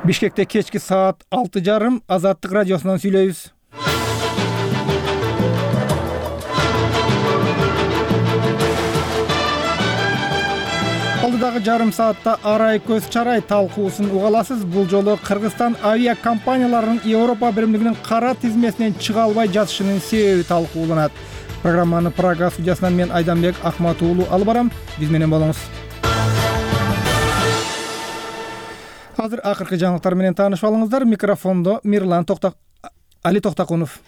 Бишкекте кечки саат 6:30 Азаттык радиосунан сүйлөйбүз. Алдыдагы жарым саатта арай көз чарай талкуусун уга аласыз. Бул жолу Кыргызстан авиа компанияларынын Европа биримдигинин кара тизмесинен чыга албай жатышынын себеби талкууланат. Программаны Прага студиясынан мен Айданбек Акмат уулу алып барам. Биз менен болуңуз. Азыр акыркы жаңылыктар менен таанышып алыңыздар. Микрофондо Али Токтакунов.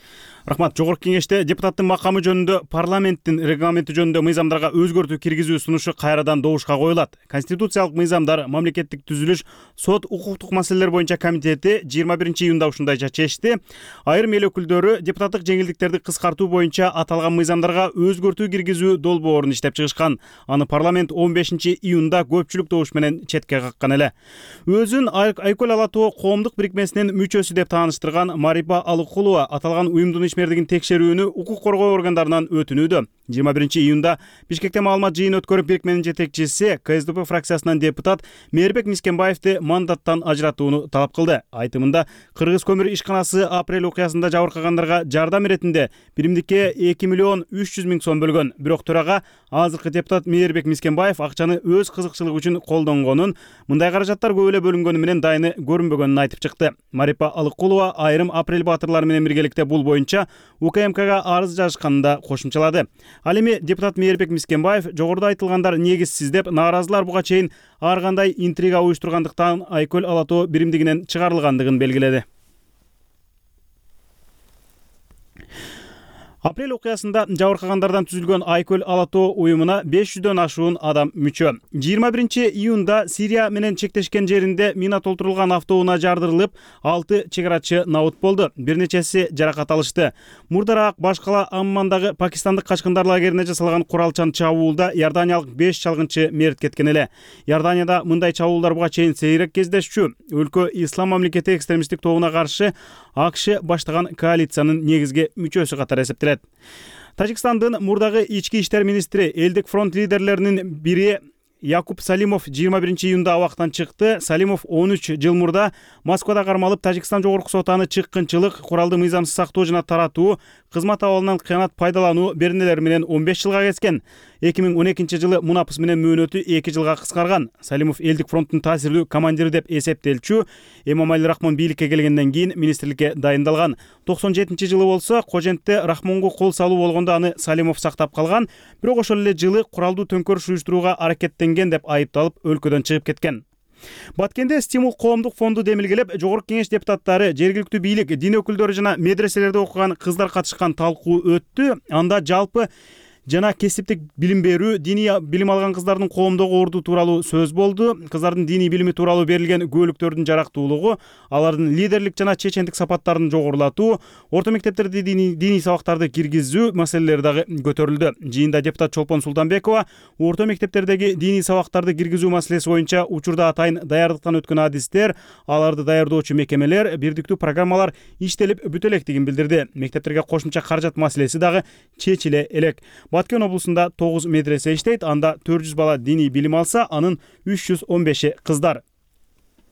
Рахмат. Жогорку кеңеште депутаттын макамы жөнүндө парламенттин регламенти жөнүндө мыйзамдарга өзгөртүү киргизүү сунушу кайрадан добушка коюлат. Конституциялык мыйзамдар, мамлекеттик түзүлүш, сот, укуктук маселелер боюнча комитети 21-июнда ушундайча чечти. Айрым эл өкүлдөрү депутаттык жеңилдиктерди кыскартуу боюнча аталган мыйзамдарга өзгөртүү киргизүү долбоорун иштеп чыгышкан. Аны парламент 15-июнда көпчүлүк добуш менен четке каккан эле. Өзүн Айкөл Ала-тоо коомдук бирикмесинин мүчөсү деп тааныштырган Марипа Алыкулова аталган уюмдун ишмердигин текшерүүнү укук коргоо органдарынан өтүнүүдө. 21-июнда Бишкекте маалымат жыйын өткөрүп, бирикменин жетекчиси КСДП фракциясынан депутат Мээрбек Мискенбаевди мандаттан ажыратууну талап кылды. Айтымында Кыргыз көмүр ишканасы апрель окуясында жабыркагандарга жардам иретинде биримдикке 2,3 миллион сом бөлгөн. Бирок төрага азыркы депутат Мээрбек Мискенбаев акчаны өз кызыкчылыгы үчүн колдонгонун, мындай каражаттар көп эле бөлүнгөнү менен дайыны көрүнбөгөнүн айтып чыкты. Марипа Алыкулова айрым апрель баатырлары менен биргеликте бул боюнча УКМКга арыз жазышканын да кошумчалады. Ал эми депутат Мээрбек Мискенбаев жогоруда айтылгандар негизсиз деп, нааразылар буга чейин ар кандай интрига уюштургандыктан Айкөл Ала-тоо биримдигинен чыгарылгандыгын белгиледи. Апрель окуясында жабыркагандардан түзүлгөн Айкөл Ала-тоо уюмуна 500дөн ашуун адам мүчө. 21-июнда Сирия менен чектешкен жеринде мина толтурулган автоунаа жардырылып, 6 чегарачы набыт болду. Бир нечеси жаракат алышты. Мурдараак Башкала Аммандагы пакистандык качкындар лагерине жасалган куралчан чабуулда иорданиялык 5 чалгынчы мерт кеткен эле. Иорданияда мындай чабуулдар буга чейин сейрек кездешчү. Өлкө ислам мамлекети экстремисттик тобуна каршы АКШ баштаган коалициянын негизги мүчөсү катары эсептелет. Тажикстандын мурдагы ички иштер министри, элдик фронт лидерлеринин бири Якуб Салимов 21-июнда абактан чыкты. Салимов 13 жыл мурда Москвада кармалып, Тажикстан жогорку соту аны чыккынчылык, куралды мыйзамсыз сактоо жана таратуу, кызмат абалынан кыянат пайдалануу беренелери менен 15 жылга кеткен. 2012-жылы мунапыс менен мөөнөтү 2 жылга кыскарган. Салимов элдик фронттун таасирлүү командири деп эсептелчү. Эмомали Рахмон бийликке келгенден кийин министрликке дайындалган. 97-жылы болсо Кожентте Рахмонго кол салуу болгондо аны Салимов сактап калган. Бирок ошол эле жылы куралдуу төңкөрүш уюштурууга аракеттенген деп айыпталып, өлкөдөн чыгып кеткен. Баткенде стимул коомдук фонду демилгелеп, жогорку кеңеш депутаттары, жергиликтүү бийлик, дин өкүлдөрү жана медреселерде окуган кыздар катышкан талкуу өттү. Анда жалпы жана кесиптик билим берүү, диний билим алган кыздардын коомдогу орду тууралуу сөз болду. Кыздардын диний билими тууралуу берилген күбөлүктөрдүн жарактуулугу, алардын лидерлик жана чечендик сапаттарын жогорулатуу, орто мектептерде диний сабактарды киргизүү маселелери дагы көтөрүлдү. Жыйында депутат Чолпон Султанбекова орто мектептердеги диний сабактарды киргизүү маселеси боюнча учурда атайын даярдыктан өткөн адистер, аларды даярдоочу мекемелер, бирдиктүү программалар иштелип бүтө электигин билдирди. Мектептерге кошумча каражат маселеси дагы чечиле элек. Баткен облусунда 9 медресе иштейт, анда 400 бала диний билим алса, анын 315 кыздар.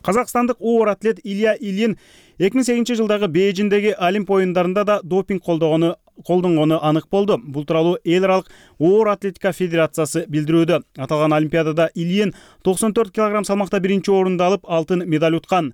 Казакстандык оор атлет Илья Ильин 2008-жылдагы Бейжиңдеги Олимп оюндарында да допинг колдонгону анык болду. Бул тууралуу эл аралык оор атлетика федерациясы билдирүүдө. Аталган олимпиадада Ильин 94 кг салмакта биринчи орунду алып, алтын медаль уткан.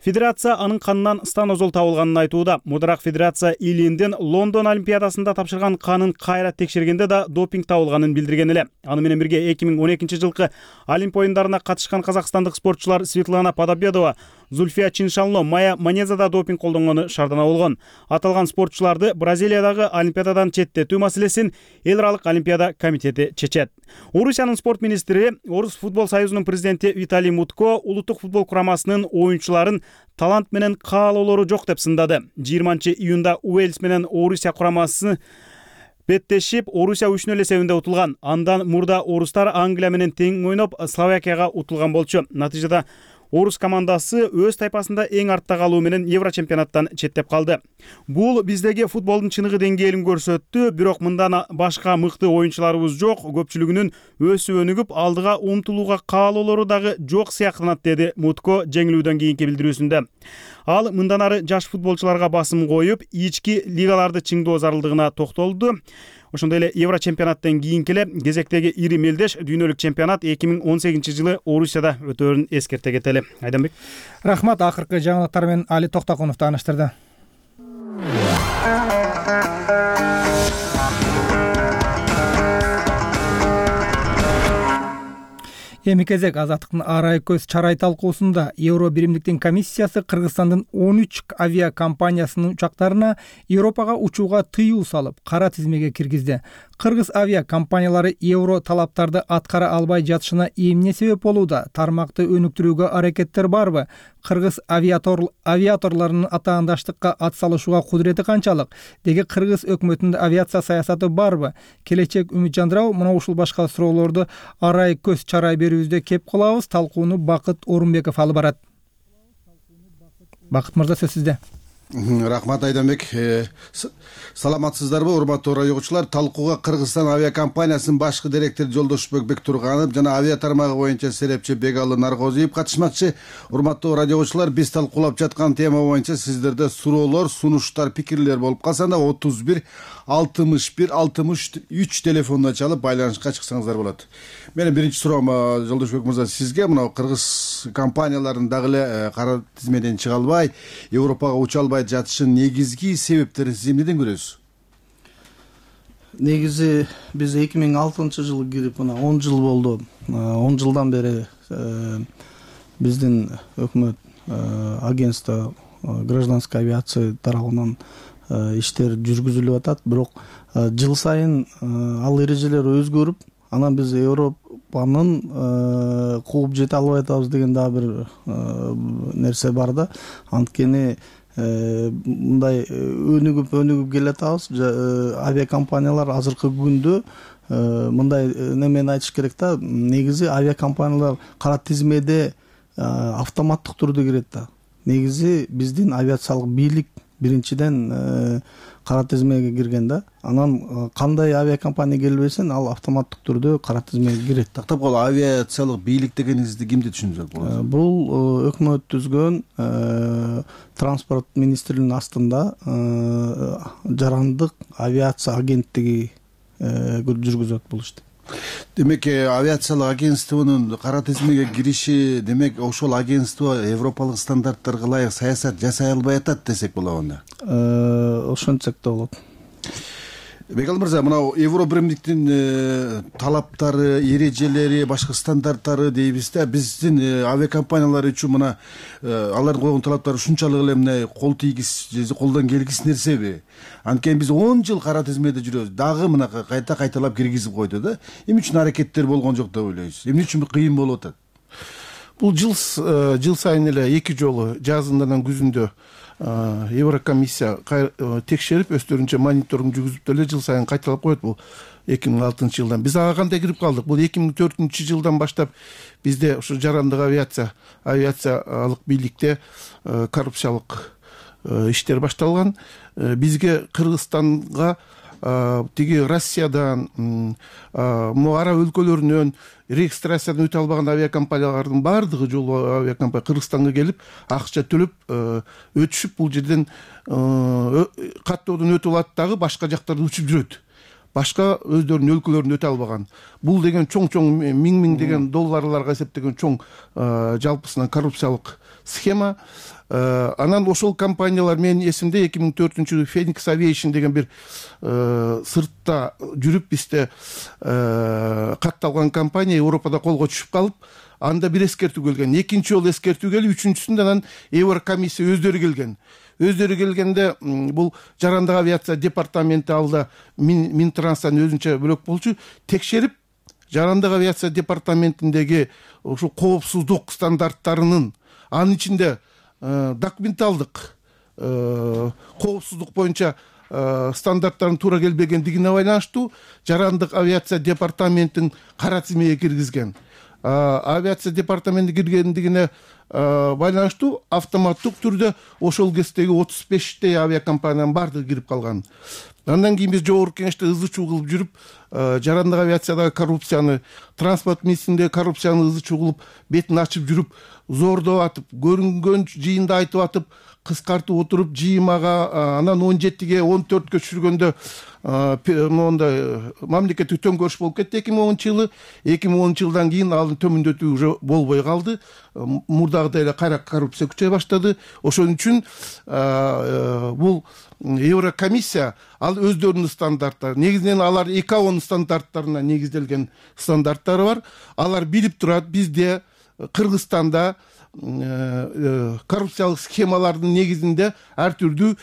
Федерация анын канынан станозол табылганын айтууда. Мурдараак федерация Ильиндин Лондон олимпиадасында тапшырган канын кайра текшергенде да допинг табылганын билдирген эле. Аны менен бирге 2012-жылкы Олимп оюндарына катышкан казакстандык спортчулар Светлана Подобедова, Зульфия Чиншанло, Майя Манезада допинг колдонгону шаардана болгон. Аталган спортчуларды Бразилиядагы олимпиададан четтетүү маселесин эл аралык олимпиада комитети чечет. Орусиянын спорт министри, Орус футбол союзунун президенти Виталий Мутко улуттук футбол курамасынын оюнчуларын талант менен каалоолору жок деп сындады. 20-июнда Уэльс менен Орусия курамасы беттешип, Орусия 3-0 эсебинде утулган. Андан мурда орустар Англия менен тең ойноп, Словакияга утулган болчу. Натыйжада Орус командасы өз тайпасында эң артта калуу менен Евро чемпионаттан четтеп калды. Бул биздеги футболдун чыныгы деңгээлин көрсөттү, бирок мындан башка мыкты оюнчуларыбыз жок, көпчүлүгүнүн өсүп өнүгүп алдыга умтулууга каалоолору дагы жок сыяктанат, деди Мутко жеңилүүдөн кийинки билдирүүсүндө. Ал мындан ары жаш футболчуларга басым коюп, ички лигаларды чыңдоо зарылдыгына токтолду. Ошондой эле Евро чемпионаттан кийинки эле кезектеги ири мелдеш дүйнөлүк чемпионат 2018-жылы Орусияда өтөөрүн эскерте кетели. Айданбек. Рахмат, акыркы жаңылыктар менен Али Токтокунов тааныштырды. Эми кезек Азаттыктын арай көз чарай талкуусунда Евро биримдиктин комиссиясы Кыргызстандын 13 авиакомпаниясынын учактарына Европага учууга тыюу салып, кара тизмеге киргизди. Кыргыз авиакомпаниялары Евро талаптарды аткара албай жатышына эмне себеп болууда? Тармакты өнүктүрүүгө аракеттер барбы? Кыргыз авиаторлорунун атаандаштыкка атсалышууга кудурети канчалык? Деги Кыргыз өкмөтүндө авиация саясаты барбы? Келечек үмүт жандырабы? Мына ушул башка суроолорду арай көз чарай берүүбүздө кеп кылабыз. Талкууну Бакыт Орунбеков алып барат. Бакыт мырза, сөз сизде. Рахмат, Айданбек. Саламатсыздарбы, урматтуу радио угуучулар? Талкууга Кыргызстан авиакомпаниясынын башкы директори Жолдошбек Бектурганов жана авиа тармагы боюнча серепчи Бегалы Наргозиев катышмакчы. Урматтуу радио угуучулар, биз талкуулап жаткан тема боюнча сиздерде суроолор, сунуштар, пикирлер болуп калса да 31 61 63 телефонуна чалып байланышка чыксаңыздар болот. Менин биринчи суроом Жолдошбек мырза сизге. Мына кыргыз компанияларынын дагы эле кара тизмеден чыга албай, Европага уча албай жатышынын негизги себептерин сиз эмнеден көрөсүз? Негизи биз 2006-жылы кирип, мына 10 жыл болду. 10 жылдан бери биздин өкмөт агентство гражданской авиация тарабынан иштер жүргүзүлүп атат. Бирок жыл сайын ал эрежелер өзгөрүп, анан биз Европанын кууп жете албай атабыз деген дагы бир нерсе бар да. Анткени мындай өнүгүп келатабыз. Авиакомпаниялар азыркы күндө мындай немени айтыш керек да. Негизи авиакомпаниялар кара тизмеде автоматтык түрдө кирет да. Негизи биздин авиациялык бийлик биринчиден кара тизмеге кирген да. Анан кандай авиакомпания келбесин, ал автоматтык түрдө кара тизмеге кирет. Тактап кол, авиациялык бийлик дегениңизди кимди түшүнсөк болот? Бул өкмөт түзгөн транспорт министрлигинин астында жарандык авиация агенттиги жүргүзөт бул ишти. Демек, авиациялык агентствонун кара тизмеге кириши, демек ошол агентство европалык стандарттарга ылайык саясат жасай албай атат десек болобу анда? Ошентсек да болот. Бегалы мырза, мына Евро биримдиктин талаптары, эрежелери, башка стандарттары дейбиз да, биздин авиакомпаниялар үчүн мына алардын койгон талаптары ушунчалык эле мына кол тийгис же колдон келгис нерсеби? Анткени биз 10 жыл кара тизмеде жүрөбүз, дагы мына кайталап киргизип койду да. Эмне үчүн аракеттер болгон жок деп ойлойсуз? Эмне үчүн кыйын болуп атат? Бул жыл сайын эле 2 жолу жазында менен күзүндө Еврокомиссия текшерип, өздөрүнчө мониторинг жүргүзүп эле жыл сайын кайталап коет. Бул 2006-жылдан. Биз ага кандай кирип калдык? Бул 2004-жылдан баштап бизде ушу жарандык авиациялык бийликте коррупциялык иштер башталган. Бизге Кыргызстанга тиги Россиядан, араб өлкөлөрүнөн регистрациядан өтө албаган авиакомпаниялардын бардыгы жолу авиакомпания Кыргызстанга келип, акча төлөп өтүшүп, бул жерден каттоодон өтүп алат дагы башка жактарда учуп жүрөт. Башка өздөрүнүн өлкөлөрүндө өтө албаган. Бул деген чоң миң деген долларларга эсептеген чоң жалпысынан коррупциялык схема. Анан ошол компаниялар, менин эсимде 2004-жылы Phoenix Aviation деген бир сыртта жүрүп бизде катталган компания Европада колго түшүп калып, анда бир эскертүү келген. Экинчи жолу эскертүү келип, үчүнчүсүндө анан Еврокомиссия өздөрү келген. Өздөрү келгенде бул жарандык авиация департаменти алда Минтранстан өзүнчө бөлөк болчу, текшерип жарандык авиация департаментиндеги ошо коопсуздук стандарттарынын, анын ичинде документалдык коопсуздук боюнча стандарттарын туура келбегендигине байланыштуу жарандык авиация департаментин кара тизмеге киргизген. Авиация департаменти киргендигине байланыштуу автоматтык түрдө ошол кездеги 35 авиакомпаниянын баардыгы кирип калган. Андан кийин биз жогорку кеңеште ызы чуу кылып жүрүп, жарандык авиациядагы коррупцияны, транспорт министрлигиндеги коррупцияны ызы чуу кылып, бетин ачып жүрүп, зордоп атып, көрүнгөн жыйында айтып атып, кыскартып отуруп, жыймага анан 17ге 14кө түшүргөндө мондай мамлекеттик төңкөрүш болуп кетти 2010-жылы. 2010-жылдан кийин ал төмөндөтүү уже болбой калды. Мурдагыдай эле кайра коррупция күчөй баштады. Ошон үчүн бул Еврокомиссия ал өздөрүнүн стандарттары, негизинен алар ИКАОнун стандарттарына негизделген стандарттары бар. Алар билип турат, бизде Кыргызстанда коррупциялык схемалардын негизинде ар түрдүү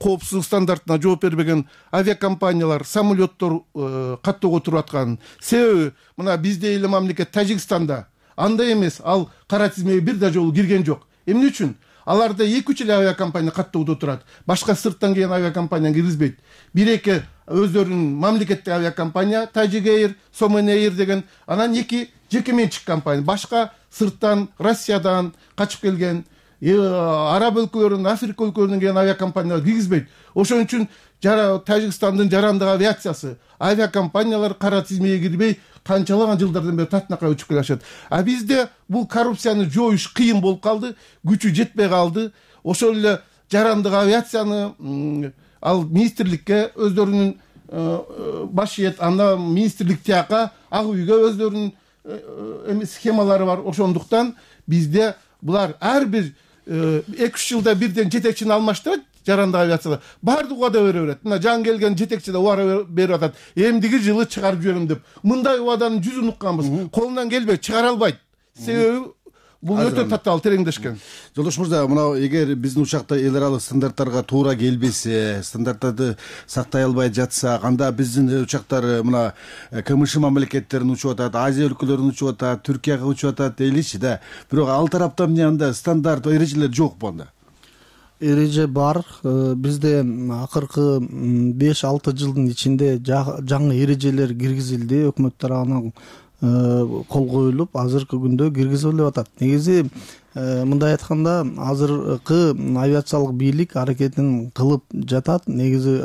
коопсуздук стандартына жооп бербеген авиакомпаниялар, самолеттор каттоого туруп аткан. Себеби мына бизде эле мамлекет Тажикстанда андай эмес, ал кара тизмеге бир да жолу кирген жок. Эмне үчүн? Аларда 2-3 эле авиакомпания каттоодо турат. Башка сырттан келген авиакомпания киргизбейт. Бир-эки өздөрүнүн мамлекеттик авиакомпания, Tajik Air, Somen Air деген, анан 2 жеке менчик компания. Башка сырттан, Россиядан качып келген, араб өлкөлөрүнүн, Африка өлкөлөрүнөн келген авиакомпаниялар киргизбейт. Ошон үчүн Тажикстандын жарандык авиациясы, авиакомпаниялар кара тизмеге кирбей канчалаган жылдардан бери татынакай учуп келишет. А бизде бул коррупцияны жоюш кыйын болуп калды, күчү жетпей калды. Ошол эле жарандык авиацияны ал министрликке өздөрүнүн башыет, анда министрлик тияка ак үйгө өздөрүнүн схемалары бар. Ошондуктан бизде булар ар бир 2-3 жылда бирден жетекчини алмаштырат. Жарандык авиацияда баардык убада бере берет. Мына жаңы келген жетекчи да убада берип атат. Эмдиги жылы чыгарып жиберем деп. Мындай убаданын жүзүн укканбыз. Колунан келбей чыгара албайт. Себеби бул өтө татаал тереңдешкен. Жолдош мырза, мына эгер биздин учакта эл аралык стандарттарга туура келбесе, стандарттарды сактай албай жатсак, анда биздин учактар мына КМШ мамлекеттерин учуп атат, Азия өлкөлөрүн учуп атат, Түркияга учуп атат дейличи да. Бирок ал тараптан эмне анда стандарт эрежелер жокпу анда? Эреже бар. Бизде акыркы 5-6 жылдын ичинде жаңы эрежелер киргизилди. Өкмөт тарабынан кол коюлуп, азыркы күндө киргизилип атат. Негизи мындай айтканда, азыркы авиациялык бийлик аракетин кылып жатат. Негизи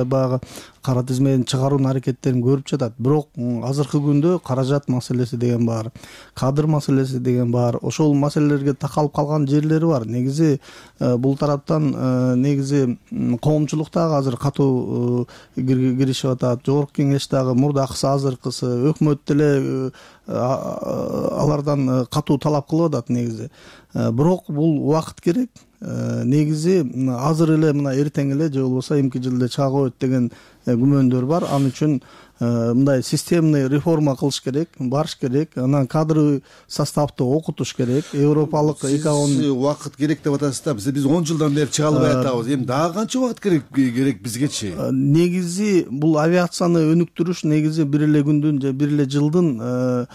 баягы кара тизмеден чыгаруунун аракеттерин көрүп жатат. Бирок азыркы күндө каражат маселеси деген бар, кадр маселеси деген бар. Ошол маселелерге такалып калган жерлери бар. Негизи бул тараптан негизи коомчулук дагы азыр катуу киришип атат. Жогорку кеңеш дагы мурдакысы, азыркысы, өкмөт деле алардан катуу талап кылып атат негизи. Бирок бул убакыт керек. Негизи азыр эле мына эртең эле же болбосо эмки жылда чыга коет деген күмөндөр бар. Ал үчүн мындай системный реформа кылыш керек, барыш керек. Анан кадрлы составты окутуш керек. Европалык ИКАОнун убакыт керек деп атасыз да. Биз 10 жылдан бери чыга албай атабыз. Эми дагы канча убакыт керек бизгечи? Негизи бул авиацияны өнүктүрүш негизи бир эле күндүн же бир эле жылдын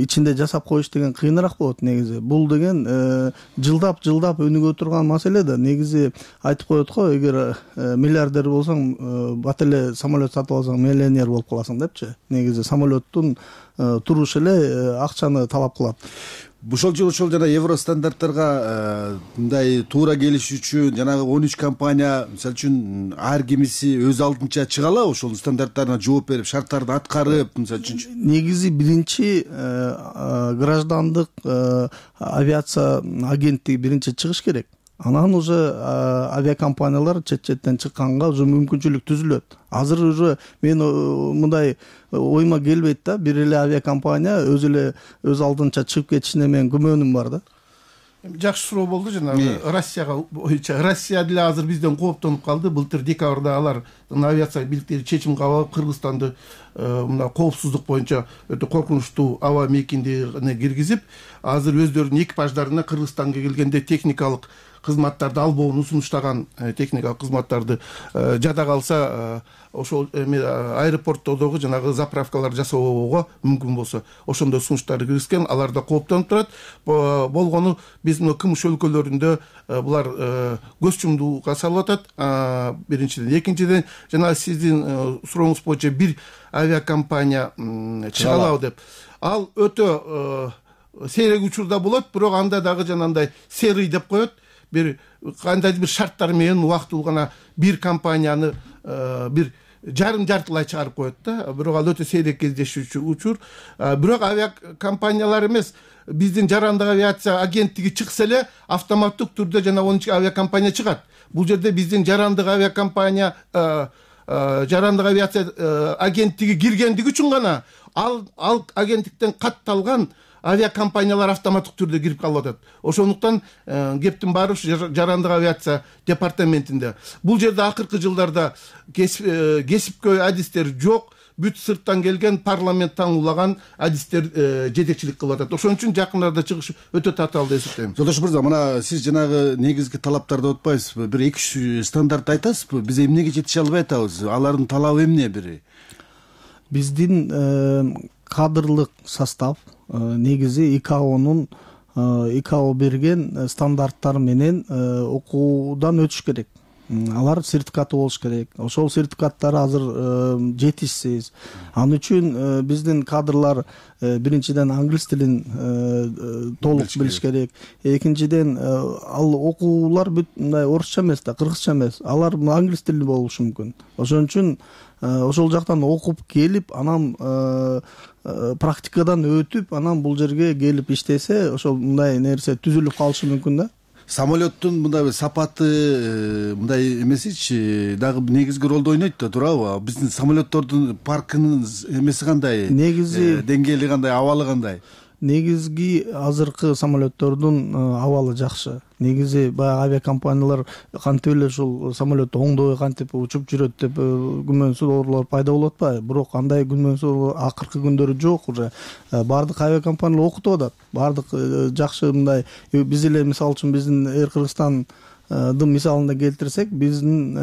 ичинде жасап коюш деген кыйыныраак болот негизи. Бул деген жылдап өнүгө турган маселе да. Негизи айтып коет го, эгер миллиардер болсоң, бат эле самолет сатып алсаң миллионер болуп каласың депчи. Негизи самолеттун турушу эле акчаны талап кылат. Ошол жана евро стандарттарга мындай туура келиш үчүн жанагы 13 компания мисалы үчүн ар кимиси өз алдынча чыга алабы? Ошол стандарттарына жооп берип, шарттарды аткарып, мисалы үчүн. Негизи биринчи граждандык авиация агенттиги биринчи чыгыш керек. Анан уже авиакомпаниялар чет-четтен чыкканга уже мүмкүнчүлүк түзүлөт. Азыр уже мен мындай ойма келбейт да, бир эле авиакомпания өз алдынча чыгып кетишине менин күмөнүм бар да. Жакшы суроо болду жанагы Россияга боюнча. Россия деле азыр бизден кооптонуп калды. Былтыр декабрда алар авиация бийликтери чечим кабыл алып, Кыргызстанды мына коопсуздук боюнча өтө коркунучтуу аба мейкиндигине киргизип, азыр өздөрүнүн экипаждарына Кыргызстанга келгенде техникалык кызматтарды албоону сунуштаган, техникалык кызматтарды жада калса ошол аэропорттордогу жанагы заправкалар жасоого мүмкүн болсо ошондой сунуштарды киргизген. Алар да кооптонуп турат. Болгону биз мына КМШ өлкөлөрүндө булар көз чумдууга салып атат. Биринчиден, экинчиден жана сиздин сурооңуз боюнча бир авиакомпания чыга алабы деп. Ал өтө сейрек учурда болот, бирок анда дагы жанагындай серый деп коет. Бир кандайдыр бир шарттар менен убактылуу гана бир компанияны бир жартылай чыгарып коет да. Бирок ал өтө сейрек кездешүүчү учур. Бирок авиакомпаниялар эмес, биздин жарандык авиация агенттиги чыкса эле автоматтык түрдө жана onun ичине авиакомпания чыгат. Бул жерде биздин жарандык авиакомпания жарандык авиация агенттиги киргендиги үчүн гана ал агенттиктен катталган авиакомпаниялар автоматтык түрдө кирип калып атат. Ошондуктан кептин баары ушу жарандык авиация департаментинде. Бул жерде акыркы жылдарда кесипкөй адистер жок, бүт сырттан келген парламент таңуулаган адистер жетекчилик кылып атат. Ошон үчүн жакындарда чыгыш өтө татаал деп эсептейм. Жолдош мырза, мына сиз жанагы негизги талаптарды утпайсызбы? Бир 2-3 стандарт айтасызбы? Биз эмнеге жетише албай атабыз? Алардын талабы эмне бири? Биздин кадрлык состав негизи ИКАО берген стандарттар менен окуудан өтүш керек. Алар сертификаты болуш керек. Ошол сертификаттар азыр жетишсиз. Ал үчүн биздин кадрлар биринчиден англис тилин толук билиш керек. Экинчиден ал окуулар бүт мындай орусча эмес да, кыргызча эмес. Алар англис тилинде болушу мүмкүн. Ошон үчүн ошол жактан окуп келип, анан практикадан өтүп, анан бул жерге келип иштесе, ошол мындай нерсе түзүлүп калышы мүмкүн да. Самолеттун мындай сапаты мындай эмесичи дагы негизги ролду ойнойт да, туурабы? Биздин самолеттордун паркынын эмеси кандай? Негизи деңгээли кандай, абалы кандай? Негизги азыркы самолеттордун абалы жакшы. Негизи баягы авиакомпаниялар кантип эле ушул самолет оңдой кантип учуп жүрөт деп күмөнсүзөрлөр пайда болуп атпайбы? Бирок андай күмөнсүз акыркы күндөрү жок уже. Бардык авиакомпаниялар окутуп атат. Бардык жакшы мындай биз эле мисалы үчүн биздин Air Кыргызстан мисалында келтирсек, биздин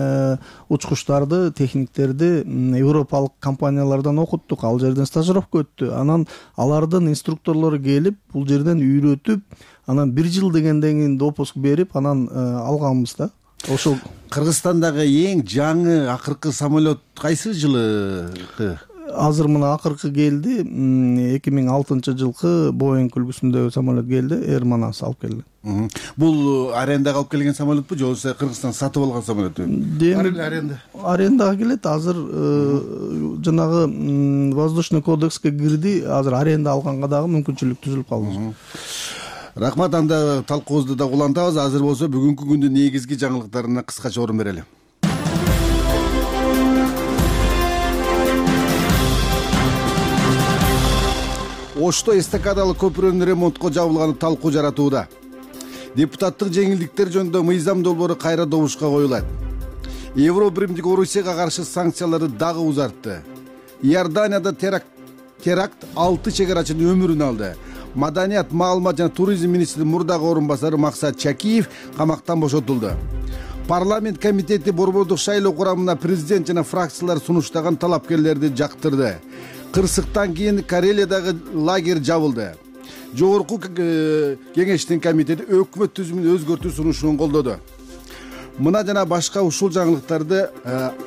учкучтарды, техниктерди европалык компаниялардан окуттук, ал жерден стажировка өттү. Анан алардын инструкторлору келип, бул жерден үйрөтүп, анан 1 жыл дегенден кийин допуск берип, анан алганбыз да. Ошол Кыргызстандагы эң жаңы акыркы самолет кайсы жылы? Азыр мына акыркы келди, 2006 жылкы Boeing үлгүсүндөгү самолет келди, Air Manas алып келди. Бул арендага алып келген самолетпу, же болбосо Кыргызстан сатып алган самолетпу? Арендага келет. Азыр жанагы воздушный кодекске кирди. Азыр аренда алганга дагы мүмкүнчүлүк түзүлүп калды. Рахмат, анда талкуубузду да улантабыз. Азыр болсо бүгүнкү күндүн негизги жаңылыктарына кыскача орун берели. Ошто эстакадалык көпүрөнүн ремонтко жабылганы талкуу жаратууда. Депутаттык жеңилдиктер жөнүндө мыйзам долбоору кайра добушка коюлат. Евро биримдик Орусияга каршы санкцияларды дагы узартты. Иорданияда теракт 6 чегарачынын өмүрүн алды. Маданият, маалымат жана туризм министринин мурдагы орун басары Максат Чакиев камактан бошотулду. Парламент комитети борбордук шайлоо курамына президент жана фракциялар сунуштаган талапкерлерди жактырды. Кырсыктан кийин Карелиядагы лагерь жабылды. Жогорку кеңештин комитети өкмөт түзүмүн өзгөртүү сунушун колдоду. Мына жана башка ушул жаңылыктарды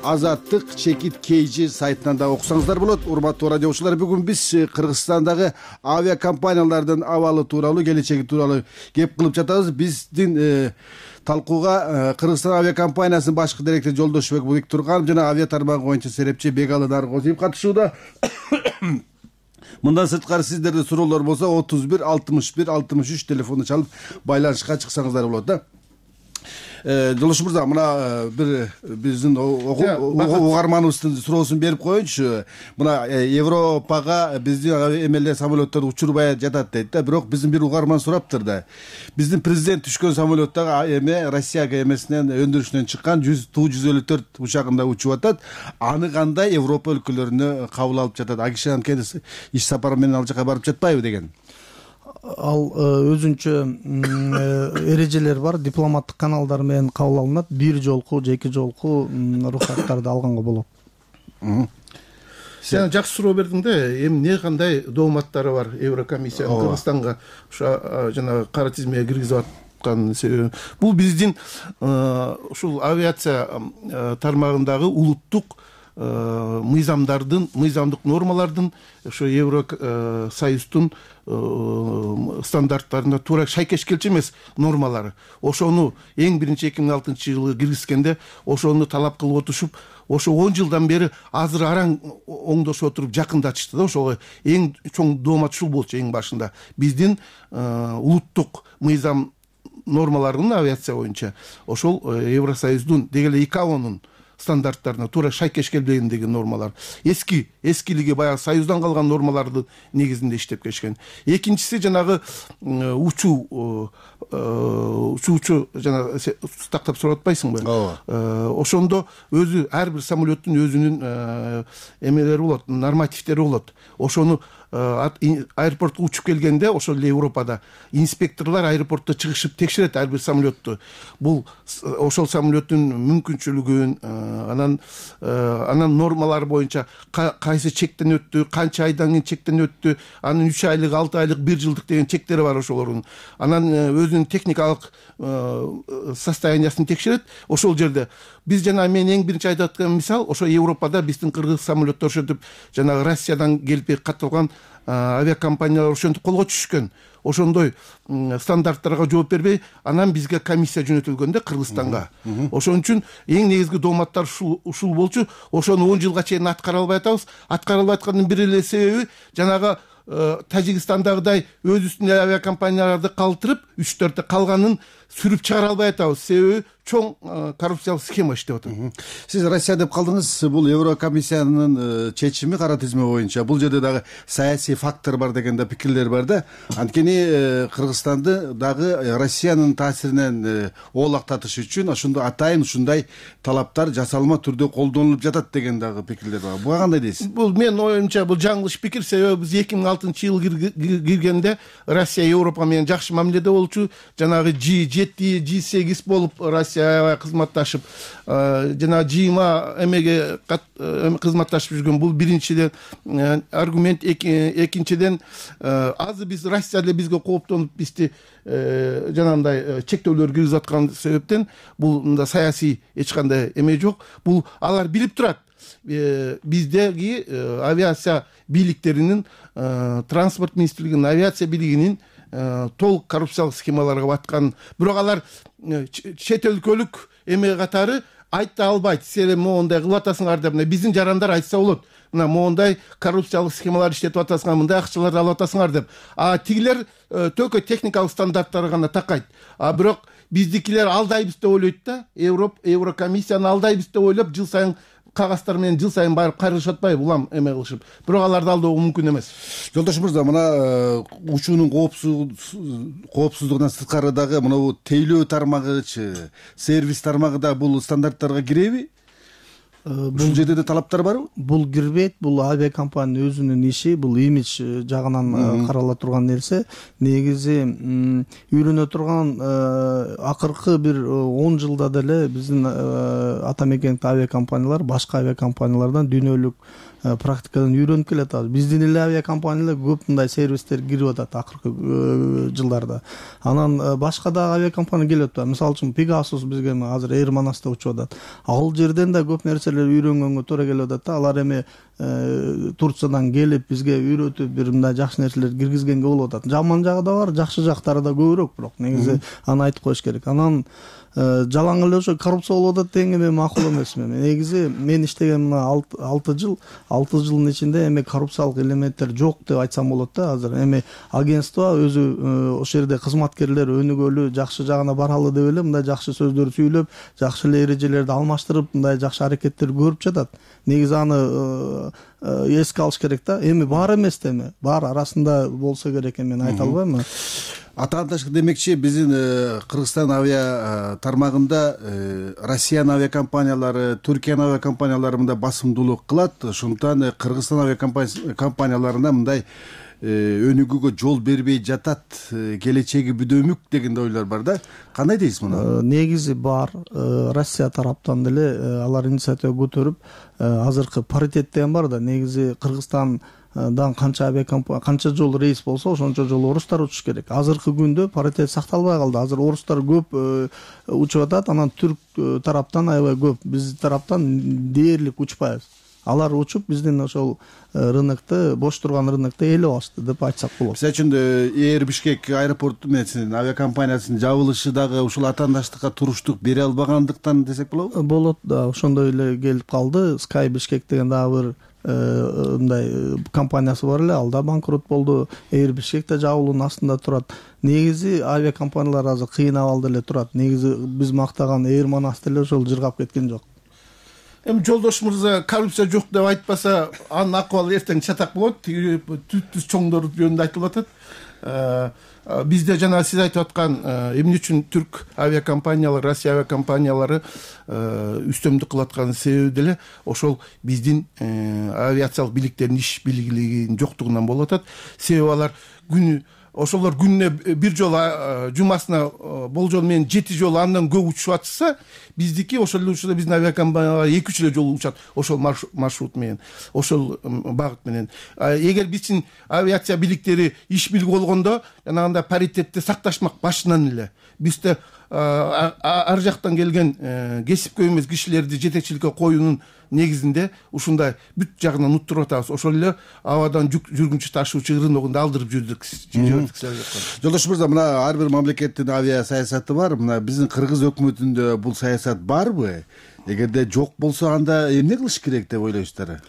Азаттык Чекит KG сайтынан да окусаңыздар болот. Урматтуу радиочулар, бүгүн биз Кыргызстандагы авиакомпаниялардын абалы тууралуу, келечеги тууралуу кеп кылып жатабыз. Биздин талкууга Кыргызстан авиакомпаниясынын башкы директору Жолдошбек Бектурганов жана авиа тармагы боюнча серепчи Бегалы Наргозиев катышууда. Мындан сырткары сиздерде суроолор болсо 31 61 63 телефонду чалып байланышка чыксаңыздар болот да. Жолдош мырза, мына бир биздин угарманыбыздын суроосун берип коеюнчу. Мына Европага биздин эмелер самолеттор учурбай жатат дейт да, бирок биздин бир угарман сураптыр да. Биздин президент түшкөн самолеттагы эме Россияга эмесинен өндүрүшүнөн чыккан Ту-154 учагында учуп атат. Аны кандай Европа өлкөлөрүнө кабыл алып жатат? Агиши анткени иш сапары менен ал жака барып жатпайбы деген. Ал өзүнчө эрежелер бар, дипломаттык каналдар менен кабыл алынат. Бир жолку же эки жолку уруксаттарды алганга болот. Сен жакшы суроо бердиң да, эмне кандай дооматтары бар Еврокомиссиянын Кыргызстанга жана кара тизмеге киргизип аткан себеби. Бул биздин ушул авиация тармагындагы улуттук мыйзамдык нормалардын ошо Евросоюздун стандарттарына туура шайкеш келчү эмес нормалары. Ошону эң биринчи 2006-жылы киргизгенде ошону талап кылып отушуп, ошо 10 жылдан бери азыр араң оңдошуп отуруп жакындатышты да. Ошого эң чоң доомат ушул болчу эң башында. Биздин улуттук мыйзам нормаларын авиация боюнча ошол Евросоюздун деги эле ИКАОнун стандарттарына туура шайкеш келбегендеги нормалар. Эскилиги баягы Союздан калган нормалардын негизинде иштеп келишкен. Экинчиси жанагы учуучу жана тактап сурап атпайсыңбы? Ошондо өзү ар бир самолеттун өзүнүн эмелери болот, нормативдери болот. Ошону аэропортко учуп келгенде ошол эле Европада инспекторлор аэропортто чыгышып текшерет ар бир самолетту. Бул ошол самолеттун мүмкүнчүлүгүн, анан нормалар боюнча кайсы чектен өттү, канча айдан кийин чектен өттү, анын 3 айлык, 6 айлык, 1 жылдык деген чектери бар ошолордун. Анан өзүнүн техникалык состояниясын текшерет. Ошол жерде биз жана мен эң биринчи айтып аткан мисал, ошо Европада биздин кыргыз самолеттер ошентип жанагы Россиядан келип катталган авиакомпаниялар ошентип колго түшкөн. Ошондой стандарттарга жооп бербей, анан бизге комиссия жөнөтүлгөндө Кыргызстанга. Ошон үчүн эң негизги дооматтар ушул болчу. Ошону 10 жылга чейин аткара албай атабыз. Аткара албай аткандын бир эле себеби жанагы Тажикстандагыдай өз үстүнө авиакомпанияларды калтырып, 3-4 калганын сүрүп чыгара албай атабыз. Себеби чоң коррупциялык схема иштеп атат. Сиз Россия деп калдыңыз. Бул Еврокомиссиянын чечими кара тизме боюнча. Бул жерде дагы саясий фактор бар деген да пикирлер бар да. Анткени Кыргызстанды дагы Россиянын таасиринен оолактатыш үчүн ошондо атайын ушундай талаптар жасалма түрдө колдонулуп жатат деген дагы пикирлер бар. Буга кандай дейсиз? Бул мен оюмча бул жаңылыш пикир. Себеби биз 2006-жылы киргенде Россия Европа менен жакшы мамиледе болчу. Жанагы G7, G8 болуп Россия кызматташып, жана G20 эмеге кызматташып жүргөн. Бул биринчиден аргумент. Экинчиден азыр биз Россия эле бизге кооптонуп бизди жанагындай чектөөлөр киргизип аткан себептен бул мында саясий эч кандай эме жок. Бул алар билип турат. Биздеги авиация бийликтеринин, транспорт министрлигинин авиация бийлигинин толук коррупциялык схемаларга баткан. Бирок алар чет өлкөлүк эме катары айта албайт. Силер моундай кылып атасыңар деп, биздин жарандар айтса болот. Мына моундай коррупциялык схемалар иштетип атасыңар, мындай акчаларды алып атасыңар деп. Тигилер төгө техникалык стандарттарга гана такайт. Бирок биздикилер алдайбыз деп ойлойт да. Еврокомиссияны алдайбыз деп ойлоп, жыл сайын кагазддар менен жыл сайын барып кайрылышып атпайбы, улам эме кылышып. Бирок аларды алдоо мүмкүн эмес. Жолдош мырза, мына учуунун коопсуздугунан сырткары дагы мына тейлөө тармагычы, сервис тармагы да бул стандарттарга киреби? Бул жерде талаптар барбы? Бул кирбейт. Бул авиакомпаниянын өзүнүн иши, бул имидж жагынан карала турган нерсе. Негизи үйрөнө турган акыркы бир 10 жылда деле биздин ата мекендик авиакомпаниялар башка авиакомпаниялардан дүйнөлүк практикадан үйрөнүп келатат. Биздин эле авиакомпаниялар көп мындай сервистер кирип атат акыркы жылдарда. Анан башка да авиакомпания келип атат. Мисалы үчүн Pegasus бизге азыр Air Manas'та учуп атат. Ал жерден да көп нерселер үйрөнгөнгө туура келип атат да. Алар эми Турциядан келип бизге үйрөтүп бир мындай жакшы нерселер киргизгенге болуп атат. Жаман жагы да бар, жакшы жактары да көбүрөөк, бирок негизи аны айтып коюш керек. Анан жалаң эле ошо коррупция болуп атат деген эме макул эмес. Негизи мен иштеген мына 6 жылдын ичинде эми коррупциялык элементтер жок деп айтсам болот да. Азыр эми агентство өзү ошол жерде кызматкерлер өнүгөлү, жакшы жагына баралы деп эле мындай жакшы сөздөр сүйлөп, жакшы эле эрежелерди алмаштырып, мындай жакшы аракеттер көрүп жатат. Негизи аны эске алыш керек да. Эми бар эмес да, эми бар арасында болсо керек, мен айта албайм. Атаандаш демекчи биздин Кыргызстан авиа тармагында Россиянын авиакомпаниялары, Түркиянын авиакомпаниялары мындай басымдуулук кылат. Ошондуктан Кыргызстан авиакомпанияларына мындай өнүгүүгө жол бербей жатат, келечеги бүдөмүк деген ойлор бар да. Кандай дейсиз муну? Негизи бар. Россия тараптан деле алар инициатива көтөрүп, азыркы паритет деген бар да. Негизи Кыргызстандан канча жол рейс болсо, ошончо жол орустар учуш керек. Азыркы күндө паритет сакталбай калды. Азыр орустар көп учуп атат, анан түрк тараптан аябай көп. Биз тараптан дээрлик учпайбыз. алар учуп биздин ошол рынокто, бош турган рынокто ээлеп алышты деп айтсак болот. Мисалы үчүн Air Бишкек аэропорту менен авиакомпаниясынын жабылышы дагы ушул атаандаштыкка туруштук бере албагандыктан десек болобу? Болот да, ошондой эле келип калды. Sky Бишкек деген дагы бир мындай компаниясы бар эле, ал да банкрот болду. Air Бишкек да жабылуунун астында турат. Негизи авиакомпаниялар азыр кыйын абалда эле турат. Негизи биз мактаган Air Manas деле ошол жыргап кеткен жок. Эми жолдош мырза коррупция жок деп айтпаса, анын акыбалы эртең чатак болот. Түз чоңдор жөнүндө айтылып атат. Бизде жана сиз айтып аткан эмне үчүн түрк авиакомпаниялары, Россия авиакомпаниялары үстөмдүк кылып аткан себеби деле ошол биздин авиациялык бийликтердин иш билгилигинин жоктугунан болуп атат. Себеби алар ошолор күнүнө бир жолу жумасына болжол менен 7 жолу андан көп учуп атса, биздики ошол эле учурда биздин авиакомпаниялар 2-3 эле жолу учат ошол маршрут менен, ошол багыт менен. Эгер биздин авиация бийликтери иш билиги болгондо, жанагындай паритетти сакташмак башынан эле. Бизде ар жактан келген кесипкөй эмес кишилерди жетекчиликке коюунун негизинде ушундай бүт жагынан уттуруп атабыз. Ошол эле абадан жүргүнчү ташуучу рыногунда алдырып жүрдүк. Жолдош мырза, мына ар бир мамлекеттин авиа саясаты бар. Мына биздин Кыргыз өкмөтүндө бул саясат барбы? Эгерде жок болсо, анда эмне кылыш керек деп ойлойсуздар?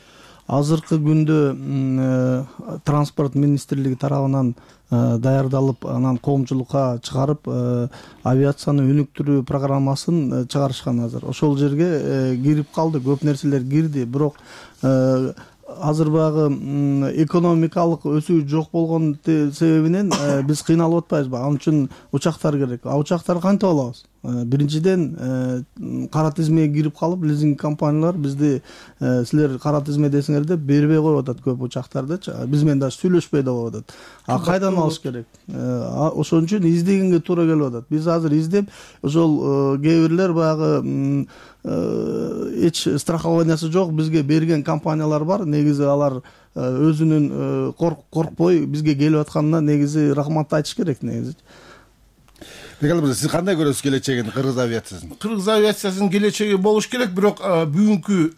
Азыркы күндө транспорт министрлиги тарабынан даярдалып, анан коомчулукка чыгарып, авиацияны өнүктүрүү программасын чыгарышкан азыр. Ошол жерге кирип калды, көп нерселер кирди, бирок азыр багы экономикалык өсүү жок болгон себебинен биз кыйналып атпайбызбы? Ал үчүн учактар керек. Учактар кантип алабыз? Биринчиден кара тизмеге кирип калып, лизинг компаниялар бизди силер кара тизме десиңер деп бербей коюп атат көп учактардычы. Биз менен дагы сүйлөшпөй да коюп атат. Кайдан алыш керек? Ошон үчүн издегенге туура келип атат. Биз азыр издеп, ошол кээ бирлер баягы эч страхованиясы жок бизге берген компаниялар бар. Негизи алар өзүнүн коркпой бизге келип атканына негизи рахмат айтыш керек негизи. Сиз кандай көрөсүз келечегин кыргыз авиациясын? Кыргыз авиациясынын келечеги болуш керек, бирок бүгүнкү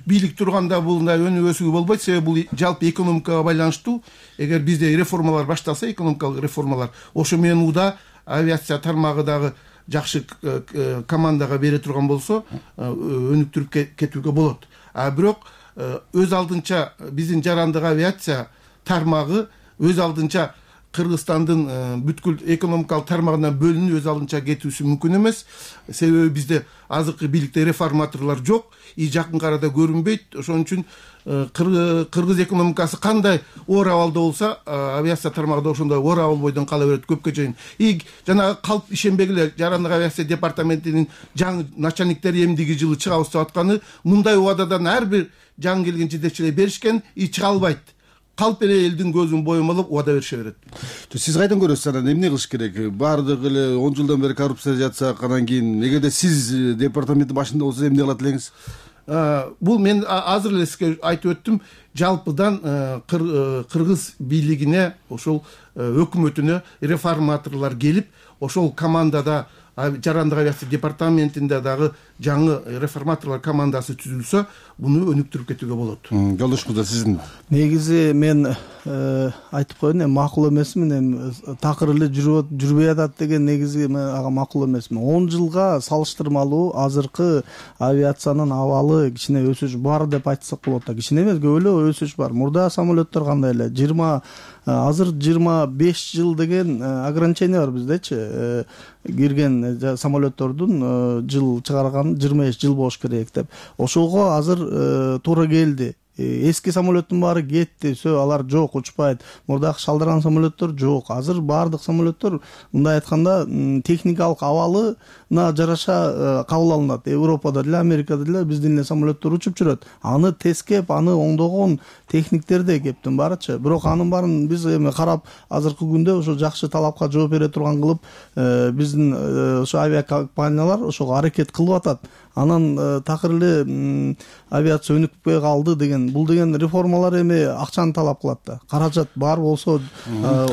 бийлик турганда бул мындай өнүгүүсү болбойт. Себеби бул жалпы экономикага байланыштуу. Эгер бизде реформалар башталса, экономикалык реформалар, ошо менен уда авиация тармагы дагы жакшы командага бере турган болсо, өнүктүрүп кетүүгө болот. Бирок өз алдынча биздин жарандык авиация тармагы өз алдынча Кыргызстандын бүткүл экономикалык тармагынан бөлүнүп өз алдынча кетүүсү мүмкүн эмес. Себеби бизде азыркы бийликте реформаторлор жок, жакын арада көрүнбөйт. Ошон үчүн кыргыз экономикасы кандай оор абалда болсо, авиация тармагы да ошондой оор абал бойдон кала берет көпкө чейин. Жанагы калп ишенбегиле, жарандык авиация департаментинин жаңы начальниктери эмдиги жылы чыгабыз деп атканы, мындай убададан ар бир жаңы келген жетекчилер беришкен, чыга албайт. Калп эле элдин көзүн боемалап убада берише берет. Сиз кайдан көрөсүз, анан эмне кылыш керек? Баардык эле 10 жылдан бери коррупция жатса, анан кийин эгерде сиз департаменттин башында болсоңуз эмне кылат элеңиз? Бул мен азыр эле сизге айтып өттүм, жалпыдан кыргыз бийлигине, ошол өкмөтүнө реформаторлор келип, ошол командада жарандык авиация департаментинде дагы жаңы реформаторлор командасы түзүлсө, буну өнүктүрүп кетүүгө болот. Жолдош мырза, сиздин негизи мен айтып коеюн, макул эмесмин, такыр эле жүрбөй атат деген негизи мен ага макул эмесмин. 10 жылга салыштырмалуу азыркы авиациянын абалы кичине өсүш бар деп айтсак болот да. Кичине эмес, көп эле өсүш бар. Мурда самолеттор кандай эле? Азыр 25 жыл деген ограничение бар биздечи. Кирген самолеттордун жыл чыгарган 25 жыл болуш керек деп. Ошого азыр туура келди. Эски самолеттин баары кетти, алар жок, учпайт. Мурдагы шалдырган самолеттор жок. Азыр баардык самолеттор, мындай айтканда, техникалык абалына жараша кабыл алынат. Европада деле, Америкада деле биздин эле самолеттор учуп жүрөт. Аны тескеп, аны оңдогон техниктер да кептин барычы. Бирок анын баарын биз эми карап, азыркы күндө ошо жакшы талапка жооп бере турган кылып, биздин ошо авиакомпаниялар ошого аракет кылып атат. Анан такыр эле авиация өнүкпөй калды деген бул деген реформалар эми акчаны талап кылат да. Каражат бар болсо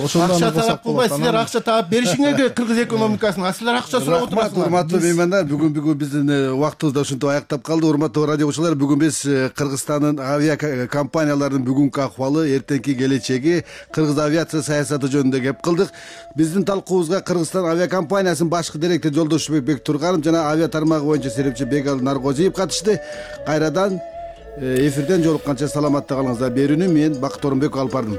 ошондон акча талап кылбай силер акча таап беришиңер керек кыргыз экономикасына. А силер акча сурап отурасыңар. Урматтуу меймандар, бүгүн биздин убактыбыз да ушинтип аяктап калды. Урматтуу радио угуучулар, бүгүн биз Кыргызстандын авиа компанияларынын бүгүнкү акыбалы, эртеңки келечеги, кыргыз авиация саясаты жөнүндө кеп кылдык. Биздин талкуубузга Кыргызстан авиа компаниясынын башкы директору Жолдошбек Бектурганов жана авиа тармагы боюнча серепчи Бегалы Наргозиев катышты. Кайрадан эфирден жолукканча саламатта калыңыздар. Берүүнү мен Бакыт Орунбеков алып бардым.